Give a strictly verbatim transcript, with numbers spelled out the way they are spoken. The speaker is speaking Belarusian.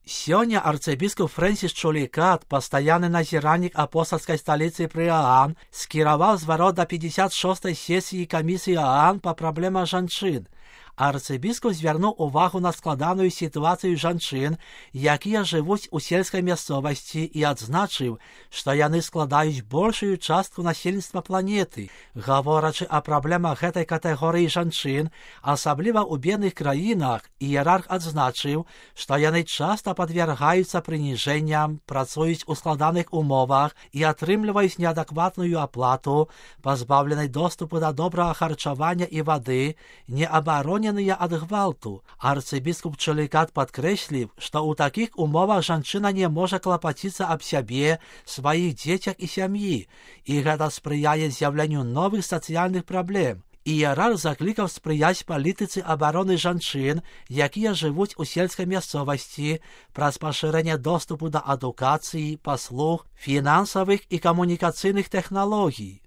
Сёння арцыбіскуп Фрэнсіс Чулікат, пастаянны назіральнік апостальскай сталіцы пры ААН, скіраваў зварот да пятьдесят шостой сесіі камісіі ААН па праблемах жанчын. Арцыбіскуп звярнуў увагу на складаную сітуацыю жанчын, якія жывуць у сельскай мясцовасці, і адзначыў, што яны складаюць большую частку насельніцтва планеты. Гаворачы о праблемах гэтай катэгорыі жанчын, асабліва ў бедных краінах, іерарх адзначыў, што яны часта падвяргаюцца прыніжэнням, працуюць у складаных умовах і атрымліваюць неадэкватную аплату, пазбаўленай доступу да добрага харчавання і вады, неабароненыя ад гвалту. Арцыбіскуп Чулікат падкрэсліў, што ў такіх умовах жанчына не можа клапаціцца аб сябе, сваіх дзецях і сям'і, і гэта спрыяе з'яўленню новых сацыяльных праблем. Іерарх заклікаў спрыяць палітыцы абароны жанчын, якія жывуць у сельскай мясцовасці, праз пашырэнне доступу да адукацыі, паслуг, фінансавых і камунікацыйных тэхналогій.